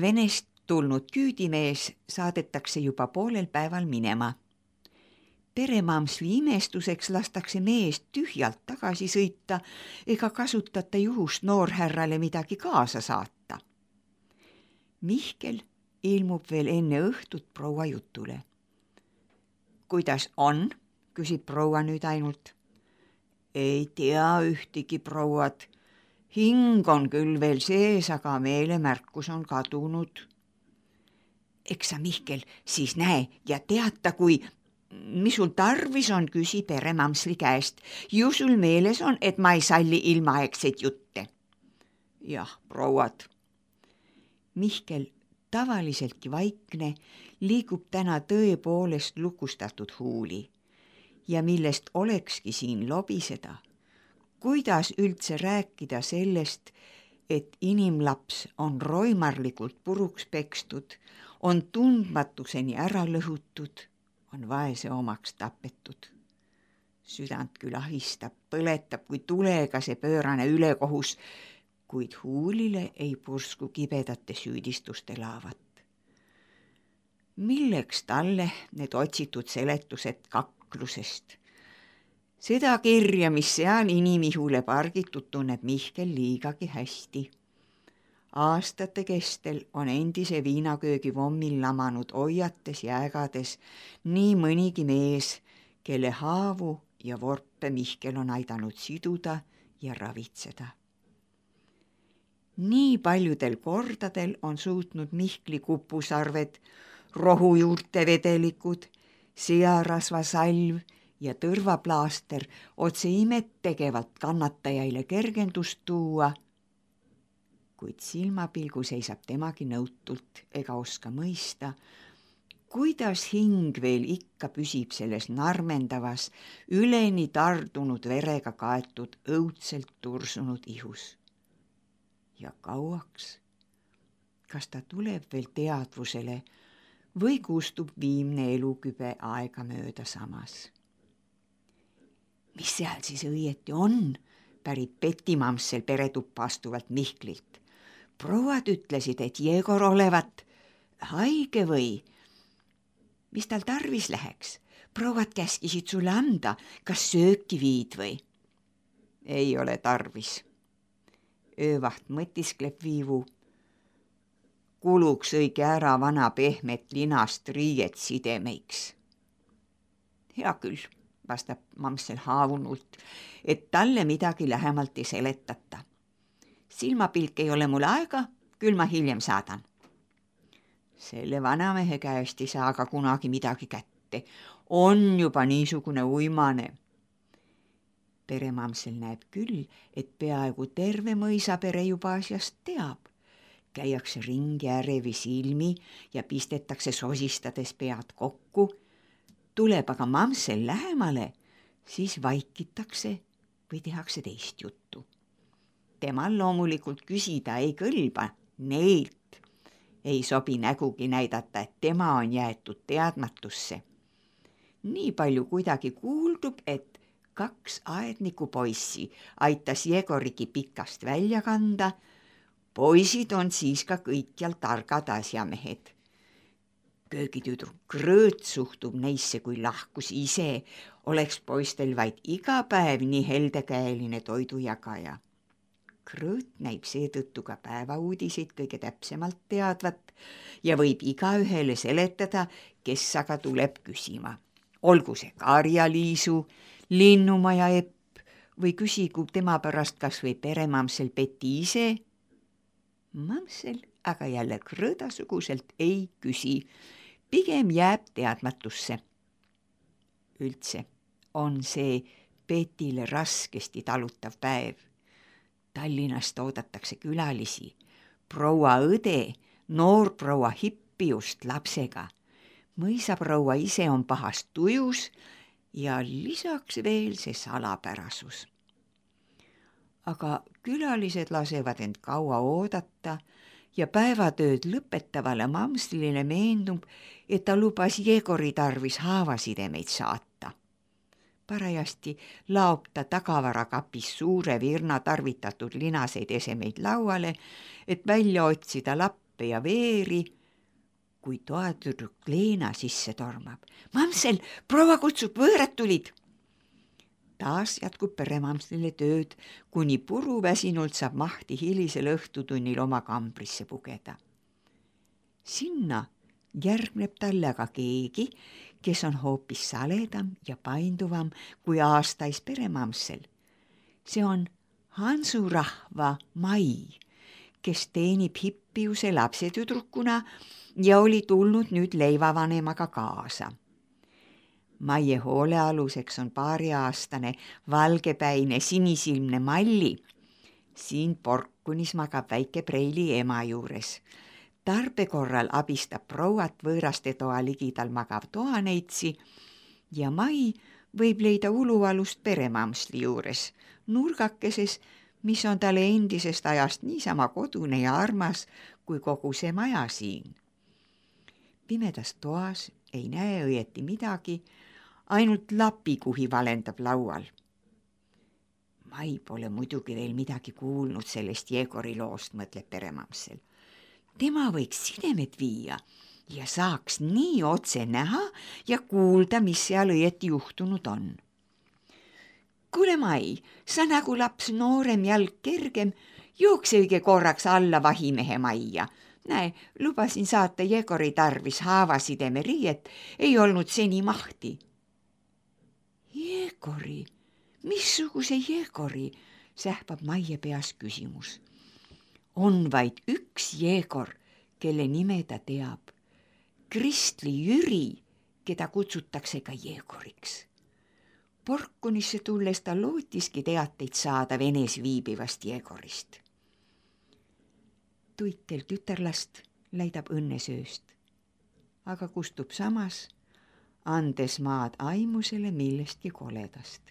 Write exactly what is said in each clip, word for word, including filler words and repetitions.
Venest tulnud küüdimees saadetakse juba poolel päeval minema. Peremamsli imestuseks lastakse meest tühjalt tagasi sõita ega kasutata juhust noorhärrale midagi kaasa saata. Mihkel ilmub veel enne õhtut proua jutule. Kuidas on? Küsib proua nüüd ainult. Ei tea ühtegi prouad. Hing on küll veel sees, aga meelemärkus on kadunud. Eks sa, Mihkel, siis näe ja teata, kui mis sul tarvis on, küsi peremamsli käest. Ju sul meeles on, et ma ei salli ilmaaegseid jutte. Jah, prouad. Mihkel, tavaliseltki vaikne, liigub täna tõepoolest lukustatud huuli ja millest olekski siin lobiseda. Kuidas üldse rääkida sellest, et inimlaps on roimarlikult puruks pekstud, on tundmatuseni ära lõhutud, on vaese omaks tapetud. Südant küll ahistab, põletab kui tulega see pöörane ülekohus, kuid huulile ei pursku kibedate süüdistuste laavat. Milleks talle need otsitud seletused kaklusest? Seda kirja, mis seal inimihule pargitud, tunneb Mihkel liigagi hästi. Aastate kestel on endise viinaköögi vommil lamanud oiates ja ägades nii mõnigi mees, kelle haavu ja vorpe Mihkel on aidanud siduda ja ravitseda. Nii paljudel kordadel on suutnud Mihkli kupusarved, rohujuurte vedelikud, searasvasalv ja tõrvaplaaster otse imet tegevalt kannatajaile kergendust tuua, kuid silmapilgu seisab temagi nõutult ega oska mõista, kuidas hing veel ikka püsib selles narmendavas, üleni tardunud verega kaetud, õudselt tursunud ihus. Ja kauaks, kas ta tuleb veel teadvusele või kustub viimne elukübe aega mööda samas. Mis seal siis õieti on, pärib Petimamsel peretuppa astuvalt Mihklilt. Prouad ütlesid, et Jegor olevat haige või? Mis tal tarvis läheks? Prouad käskisid sulle anda, kas sööki viid või? Ei ole tarvis. Öövaht mõtiskleb viivu. Kuluks õige ära vana pehmet linast riiet sidemeiks. Hea küll, vastab Mamsel haavunult, et talle midagi lähemalt ei seletata. Silmapilk ei ole mul aega, küll ma hiljem saadan. Selle vanamehe käest ei saa aga kunagi midagi kätte. On juba niisugune uimane. Peremamsel näeb küll, et peaaegu terve mõisapere juba asjast teab. Käiakse ringi ärevi silmi ja pistetakse sosistades pead kokku. Tuleb aga Mamsel lähemale, siis vaikitakse või tehakse teist juttu. Temal loomulikult küsida ei kõlba, neilt ei sobi nägugi näidata, et tema on jäetud teadmatusse. Nii palju kuidagi kuuldub, et kaks aedniku poissi aitas Jegorigi pikast välja kanda. Poisid on siis ka kõikjal targad asjamehed. Köögitüdruk Krõõt suhtub neisse kui lahkus ise, oleks poistel vaid iga päev nii heldekäeline toidujagaja. Krõõt näib seetõttu ka päevauudiseid kõige täpsemalt teadvat ja võib igaühele seletada, kes aga tuleb küsima. Olgu see Karja-Liisu, Linnumaja Epp või küsigu tema pärast kas või peremamsel Peti ise. Mamsel aga jälle Krõõdasuguselt ei küsi, pigem jääb teadmatusse. Üldse on see Petile raskesti talutav päev. Tallinnast oodatakse külalisi, proua õde, noor proua Hippiust lapsega. Mõisaproua ise on pahast tujus ja lisaks veel see salapärasus. Aga külalised lasevad end kaua oodata ja päevatööd lõpetavale Mamslile meendub, et ta lubas Jegori tarvis haavasidemeid saata. Parajasti laob ta tagavarakapis suure virna tarvitatud linaseid esemeid lauale, et välja otsida lapp, lappe ja veeri, kui toatüdruk Leena sisse tormab. Mamsel, proua kutsub, võõrad tulid. Taas jätkub peremamslile tööd, kuni puruväsinult saab mahti hilisel õhtutunnil oma kambrisse pugeda. Sinna järgneb talle aga keegi, kes on hoopis saledam ja painduvam kui aastais peremamsel. See on Hansurahva Mai, kes teenib hippiuse lapsetüdrukuna ja oli tulnud nüüd leivavanemaga kaasa. Maie hoolealuseks on paariaastane valgepäine sinisilmne Malli. Siin porkunis magab väike Preili ema juures. Tarbe korral abistab prouat võõraste toa ligidal magav toaneitsi ja Mai võib leida ulualust peremamsli juures, nurgakeses, mis on talle endisest ajast niisama kodune ja armas kui kogu see maja siin. Pimedas toas ei näe õieti midagi, ainult lapikuhi valendab laual. Mai pole muidugi veel midagi kuulnud sellest Jegori loost, mõtleb peremamsel. Tema võiks sidemed viia ja saaks nii otse näha ja kuulda, mis seal õieti juhtunud on. Kuule Mai, sa nagu laps noorem jalg kergem, jookse õige korraks alla vahimehe majja. Näe, lubasin saata Jegori tarvis haavasideme riiet, ei olnud seni mahti. Jegori? Missuguse Jegori? Sähvab Maie peas küsimus. On vaid üks Jegor, kelle nime ta teab. Kristli Jüri, keda kutsutakse ka Jegoriks. Porkunisse tulles ta lootiski teateid saada Venes viibivast Jegorist. Tuikel tütarlast läidab õnnesööst, aga kustub samas, andes maad aimusele millestki koledast.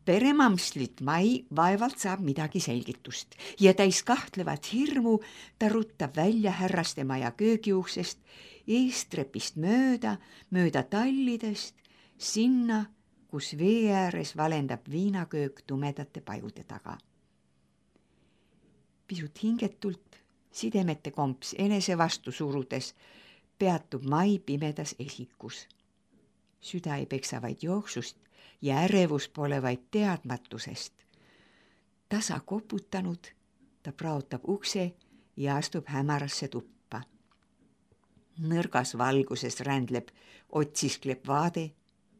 Peremamslit Mai vaevalt saab midagi selgitust ja täis kahtlevat hirmu ta ruttab välja härraste maja köögiuksest, eestrepist mööda, mööda tallidest, sinna, kus vee ääres valendab viinaköök tumedate pajude taga. Pisut hingetult, sidemete komps enese vastu surudes, peatub Mai pimedas esikus. Süda ei peksa vaid jooksust ja ärevus pole vaid teadmatusest. Tasa koputanud, ta praotab ukse ja astub hämarasse tuppa. Nõrgas valguses rändleb, otsiskleb vaade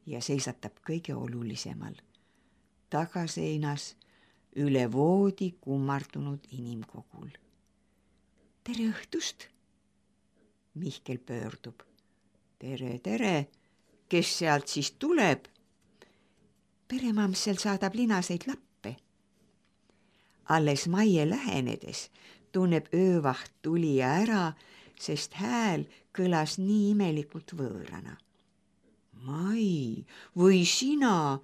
ja seisatab kõige olulisemal. Tagaseinas üle voodi kummardunud inimkogul. Tere õhtust! Mihkel pöördub. Tere, tere! Kes sealt siis tuleb? Peremamsel saadab linaseid lappe. Alles Maie lähenedes tunneb öövaht tulija ära, sest hääl kõlas nii imelikult võõrana. Mai, või sina?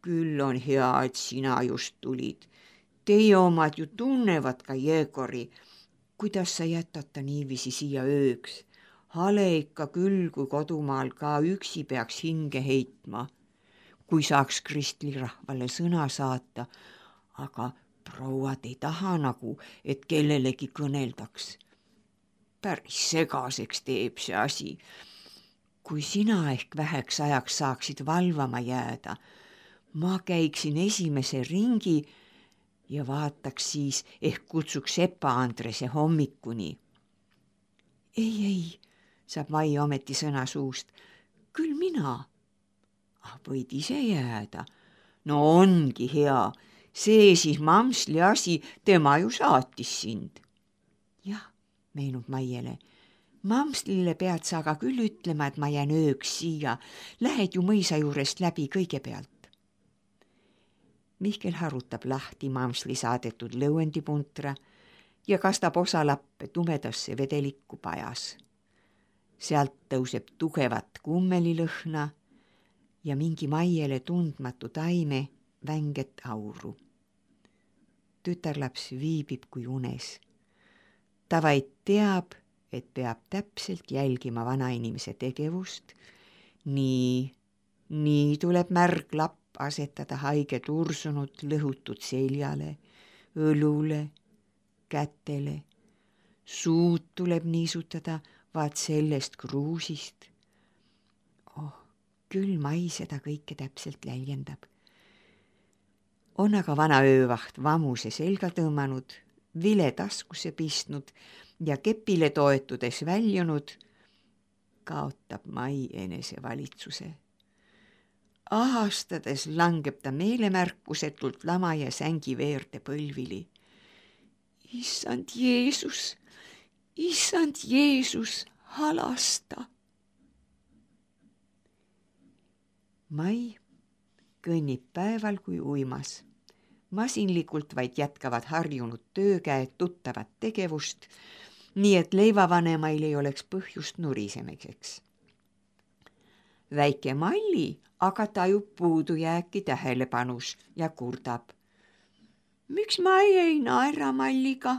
Küll on hea, et sina just tulid. Teie omad ju tunnevad ka Jegori. Kuidas sa jätad ta niiviisi siia ööks? Hale ikka küll, kui kodumaal ka üksi peaks hinge heitma. Kui saaks Kristli rahvale sõna saata, aga prouad ei taha nagu, et kellelegi kõneldaks. Päris segaseks teeb see asi. Kui sina ehk väheks ajaks saaksid valvama jääda, ma käiksin esimese ringi ja vaataks siis, ehk kutsuks Sepa Andrese hommikuni. Ei, ei, saab Mai ometi sõna suust. Küll mina. Ah, võid ise jääda. No ongi hea. See siis mamsli asi, tema ju saatis sind. Jah, meenub Maiele. Mamslile pead sa aga küll ütlema, et ma jään ööks siia. Lähed ju mõisa juurest läbi kõigepealt. Mihkel harutab lahti mamsli saadetud lõuendipuntra ja kastab osa lappe tumedasse vedelikku pajas. Sealt tõuseb tugevat kummelilõhna ja mingi Maiele tundmatu taime vänget auru. Tütarlaps viibib kui unes. Ta vaid teab, et peab täpselt jälgima vanainimese tegevust. Nii, nii tuleb märg lapp asetada haige tursunud lõhutud seljale, õlule, kätele suud tuleb niisutada vaat sellest kruusist. Oh, küll Mai seda kõike täpselt läljendab. On aga vana öövaht vamuse selga tõmmanud, vile taskusse pistnud ja kepile toetudes väljunud, kaotab Mai enesevalitsuse. Ahastades langeb ta meelemärkusetult lama ja sängi veerde põlvili. Issand Jeesus, issand Jeesus, halasta. Mai kõnnib päeval kui uimas. Masinlikult vaid jätkavad harjunud töökäed tuttavat tegevust, nii et leivavanemail ei oleks põhjust nurisemiseks. Väike Malli aga tajub puudujääki tähelepanus ja kurdab. Miks Mai ei naera Malliga?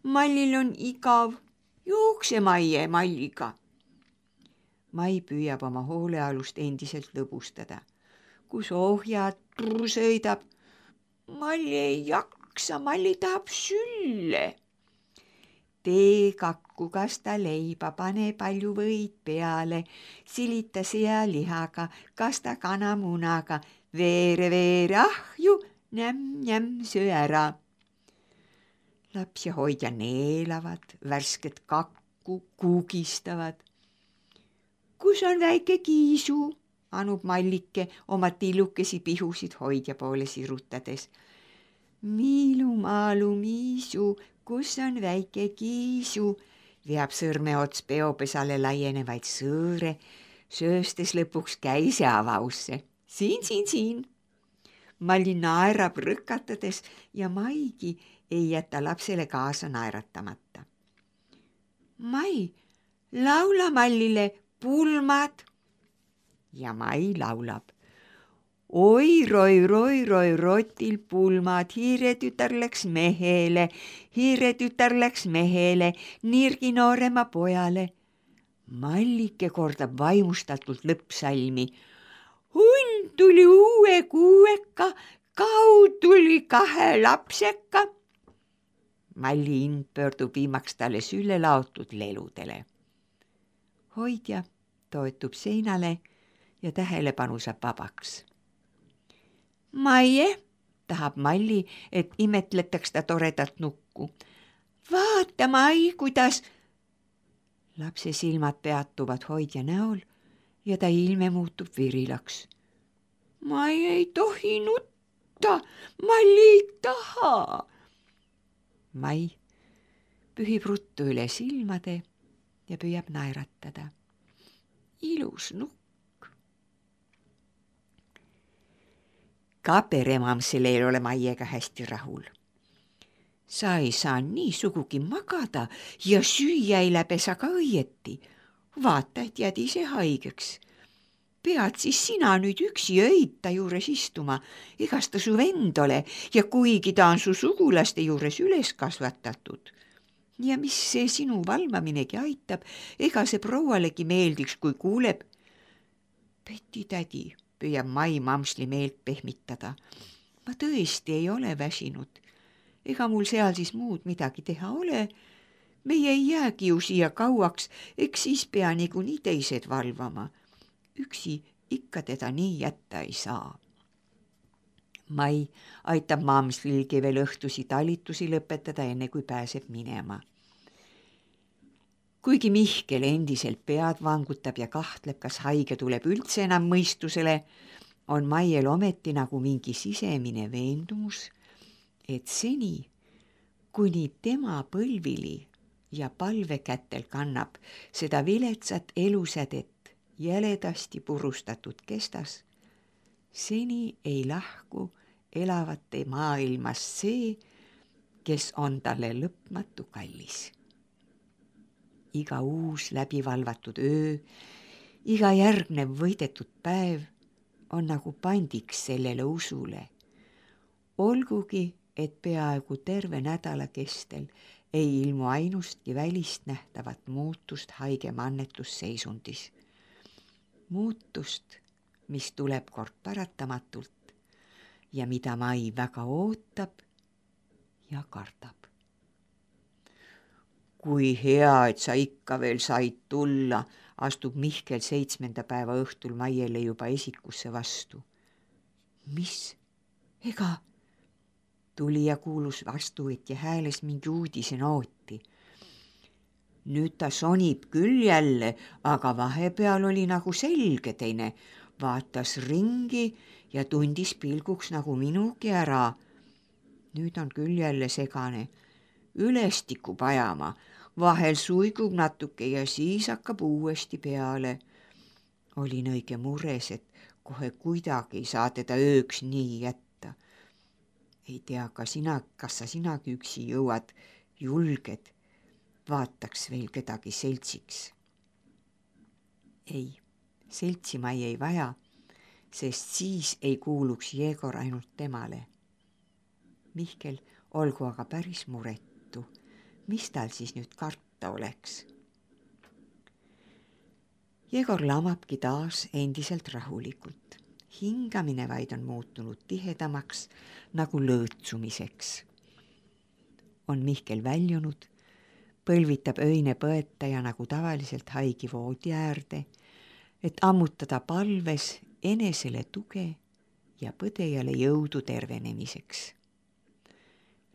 Mallil on igav. Jookse Maie Malliga. Mai püüab oma hoolealust endiselt lõbustada. Kus ohjad trrr sõidab. Malli ei jaksa, Malli tahab sülle. Tee kakku, kas ta leiba, pane palju võid peale, silita sealihaga, kas ta kanamunaga, veere, veere, ahju, nämm, nämm, söö ära. Laps ja hoidja neelavad, värsket kakku kuugistavad. Kus on väike Kiisu? Anub Mallike oma tillukesi pihusid hoidja poole sirutades. Miilu, maalu, miisu, kus on väike Kiisu? Veab sõrme ots peopesale laienevaid sõõre, sööstes lõpuks käise avausse. Siin, siin, siin. Malli naerab rõkatades ja Maigi ei jäta lapsele kaasa naeratamata. Mai, laula Mallile pulmad. Ja Mai laulab. Oi, roi, roi, roi, rotil pulmad, hiiretütar läks mehele, hiiretütar läks mehele, nirgi noorema pojale. Mallike kordab vaimustatult lõppsalmi. Hunn tuli uue kuueka, kau tuli kahe lapseka. Malli ind pöördub viimaks talle sülle laotud leludele. Hoidja toetub seinale ja tähelepanu saab vabaks. Maie, tahab Malli, et imetletaks ta toredat nukku. Vaata, Mai, kuidas... Lapse silmad peatuvad hoidja näol ja ta ilme muutub virilaks. Mai ei tohi nutta, Malli ei taha. Mai pühib ruttu üle silmade ja püüab naeratada. Ilus nukk. Ka peremamsele ei ole Maiega hästi rahul. Sa ei saa nii sugugi magada ja süüa ei läbe sa ka õieti. Vaata, et jääd ise haigeks. Pead siis sina nüüd üksi öita juures istuma, egas ta su vend ole ja kuigi ta on su sugulaste juures üles kasvatatud. Ja mis see sinu valvaminegi aitab, ega see proualegi meeldiks, kui kuuleb. Peti tädi, püüab Mai mamsli meelt pehmitada. Ma tõesti ei ole väsinud. Ega mul seal siis muud midagi teha ole. Meie ei jäägi ju siia kauaks, eks siis pea niikuinii teised valvama. Üksi ikka teda nii jätta ei saa. Mai aitab mamslilgi veel õhtusi talitusi lõpetada, enne kui pääseb minema. Kuigi Mihkel endiselt pead vangutab ja kahtleb, kas haige tuleb üldse enam mõistusele, on Maiel ometi nagu mingi sisemine veendumus, et seni, kuni tema põlvili ja palvekätel kannab seda viletsat elusädet jäledasti purustatud kestas, seni ei lahku elavate maailmast see, kes on talle lõpmatu kallis. Iga uus läbivalvatud öö, iga järgnev võidetud päev on nagu pandiks sellele usule. Olgugi, et peaaegu terve nädala kestel ei ilmu ainustki välist nähtavat muutust haige mannetusseisundis. Muutust, mis tuleb kord paratamatult ja mida Mai väga ootab ja kardab. kui hea, et sa ikka veel said tulla, astub Mihkel seitsmenda päeva õhtul Maiele juba esikusse vastu. Mis? Ega? Tuli ja kuulus vastuvõtja hääles mingi uudisenooti. Nüüd ta sonib küll jälle, aga vahepeal oli nagu selge teine. Vaatas ringi ja tundis pilguks nagu minugi ära. Nüüd on küll jälle segane. Üles tikub ajama, vahel suigub natuke ja siis hakkab uuesti peale. Olin õige mures, et kohe kuidagi ei saa teda ööks nii jätta. Ei tea, ka sina, kas sa sinagi üksi jõuad, julged, vaataks veel kedagi seltsiks. Ei, seltsi ma ei vaja, sest siis ei kuuluks Jegor ainult temale. Mihkel olgu aga päris muretu. Mis tal siis nüüd karta oleks? Jegor lamabki taas endiselt rahulikult. Hingamine vaid on muutunud tihedamaks nagu lõõtsumiseks. On Mihkel väljunud, põlvitab öine põetaja nagu tavaliselt haigi voodi äärde, et ammutada palves enesele tuge ja põdejale jõudu tervenemiseks.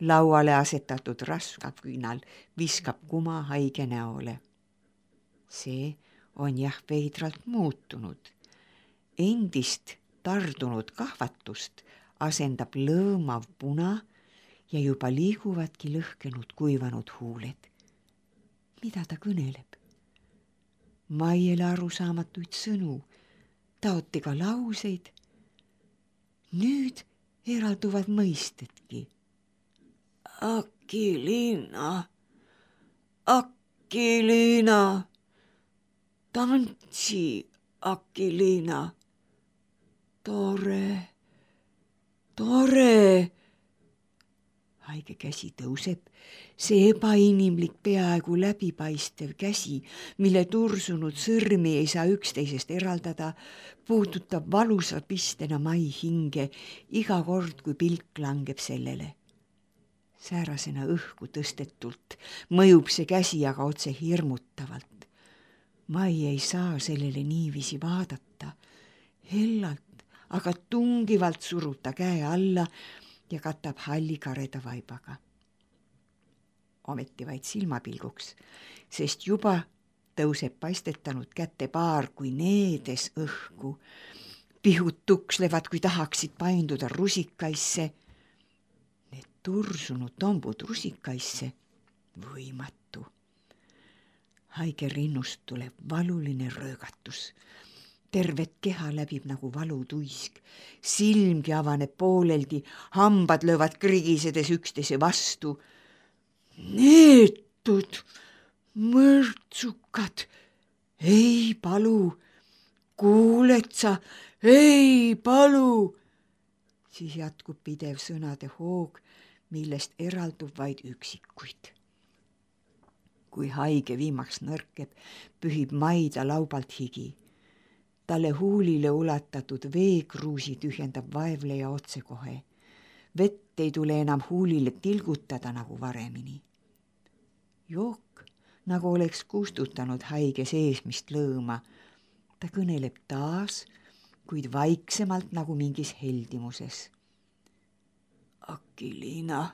Lauale asetatud rasvaküünal viskab kuma haige näole. See on jah veidralt muutunud. Endist tardunud kahvatust asendab lõõmav puna ja juba liiguvadki lõhkenud kuivanud huuled. Mida ta kõneleb? Maiele arusaamatuid sõnu, taoti ka lauseid. Nüüd eralduvad mõistetki. Akiliina, Akiliina, tantsi Akiliina. Tore, tore. Haige käsi tõuseb, see ebainimlik peaaegu läbipaistev käsi, mille tursunud sõrmi ei saa üksteisest eraldada, puudutab valusa pistena Mai hinge iga kord, kui pilk langeb sellele. Säärasena õhku tõstetult mõjub see käsi aga otse hirmutavalt. Mai ei saa sellele niiviisi vaadata. Hellalt, aga tungivalt surub ta käe alla ja katab halli kareda vaibaga. Ometi vaid silmapilguks, sest juba tõuseb paistetanud kätte paar kui needes õhku. Pihud tukslevad, kui tahaksid painduda rusikaisse. Need tursunud tombud rusikaisse, võimatu. Haige rinnust tuleb valuline röögatus. Tervet keha läbib nagu valutuisk. Silmgi avaneb pooleldi, hambad löövad krigisedes üksteise vastu. Neetud, mõrtsukad, ei palu, kuuled sa, ei palu. Siis jätkub pidev sõnade hoog, millest eraldub vaid üksikuid. Kui haige viimaks nõrkeb, pühib Maida laubalt higi. Talle huulile ulatatud veekruusi tühjendab vaevleja otsekohe. Vett ei tule enam huulile tilgutada nagu varemini. Jook, nagu oleks kustutanud haige seesmist lõõma. Ta kõneleb taas, kuid vaiksemalt nagu mingis heldimuses. Akiliina,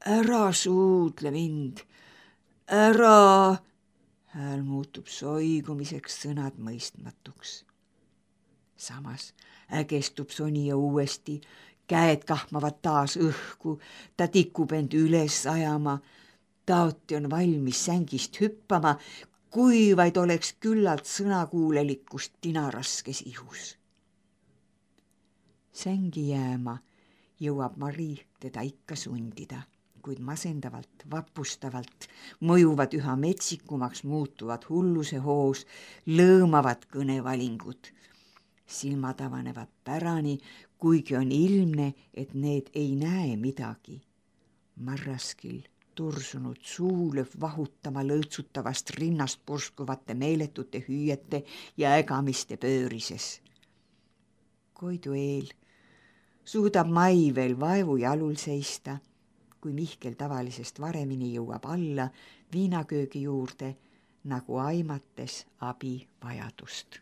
ära suudle mind, ära... Hääl muutub soigumiseks, sõnad mõistmatuks. Samas ägestub sonija uuesti, käed kahmavad taas õhku, ta tikub end üles ajama, taoti on valmis sängist hüppama, kui vaid oleks küllalt sõnakuulelikkust tinaraskes ihus. Sängi jääma jõuab Mari teda ikka sundida, kuid masendavalt, vapustavalt mõjuvad üha metsikumaks muutuvad hulluse hoos, lõõmavad kõnevalingud. Silmad avanevad pärani, kuigi on ilmne, et need ei näe midagi. Marraskil tursunud suu lööb vahutama lõõtsutavast rinnast purskuvate meeletute hüüete ja ägamiste pöörises. Koidu eel suudab Mai veel vaevu jalul seista, kui Mihkel tavalisest varemini jõuab alla viinaköögi juurde, nagu aimates abi vajadust.